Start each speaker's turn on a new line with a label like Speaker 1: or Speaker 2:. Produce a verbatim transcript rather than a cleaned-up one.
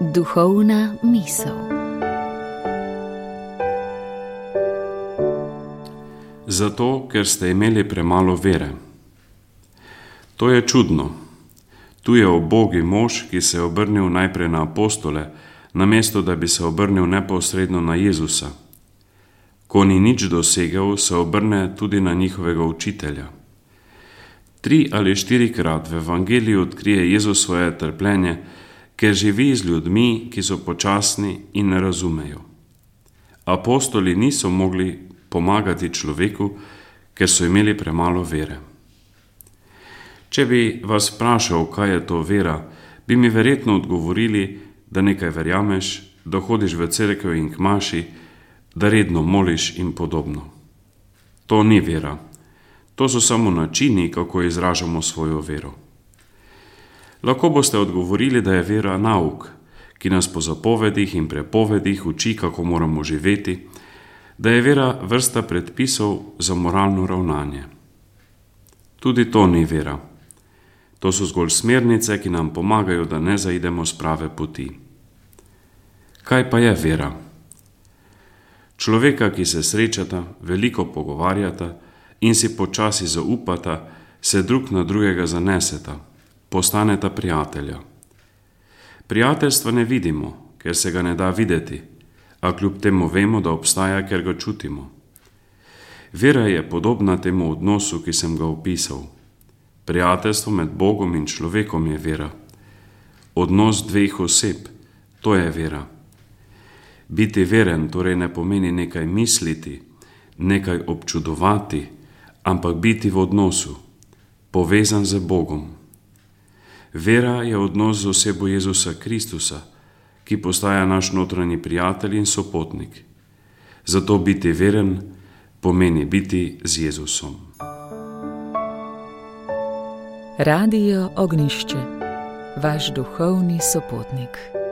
Speaker 1: Duhovna misel.
Speaker 2: Zato, ker ste imeli premalo vere. To je čudno. Tu je ubogi mož, ki se je obrnil najprej na apostole, namesto da bi se obrnil neposredno na Jezusa. Ko ni nič dosegel, se obrne tudi na njihovega učitelja. Tri ali štirikrat v evangeliju odkrije Jezus svoje trpljenje, ker živi z ljudmi, ki so počasni in ne razumejo. Apostoli niso mogli pomagati človeku, ker so imeli premalo vere. Če bi vas vprašal, kaj je to vera, bi mi verjetno odgovorili, da nekaj verjameš, da hodiš v cerkev in k maši, da redno moliš in podobno. To ni vera. To so samo načini, kako izražamo svojo vero. Lahko boste odgovorili, da je vera nauk, ki nas po zapovedih in prepovedih uči, kako moramo živeti, da je vera vrsta predpisov za moralno ravnanje. Tudi to ni vera. To so zgolj smernice, ki nam pomagajo, da ne zaidemo s prave poti. Kaj pa je vera? Človeka, ki se srečata, veliko pogovarjata in si počasi zaupata, se drug na drugega zaneseta, postaneta prijatelja. Prijateljstva ne vidimo, ker se ga ne da videti, a kljub temu vemo, da obstaja, ker ga čutimo. Vera je podobna temu odnosu, ki sem ga opisal. Prijateljstvo med Bogom in človekom je vera. Odnos dveh oseb, to je vera. Biti veren torej ne pomeni nekaj misliti, nekaj občudovati, ampak biti v odnosu, povezan z Bogom. Vera je odnos z osebo Jezusa Kristusa, ki postaja naš notranji prijatelj in sopotnik. Zato biti veren pomeni biti z Jezusom.
Speaker 1: Radio Ognjišče, vaš duhovni sopotnik.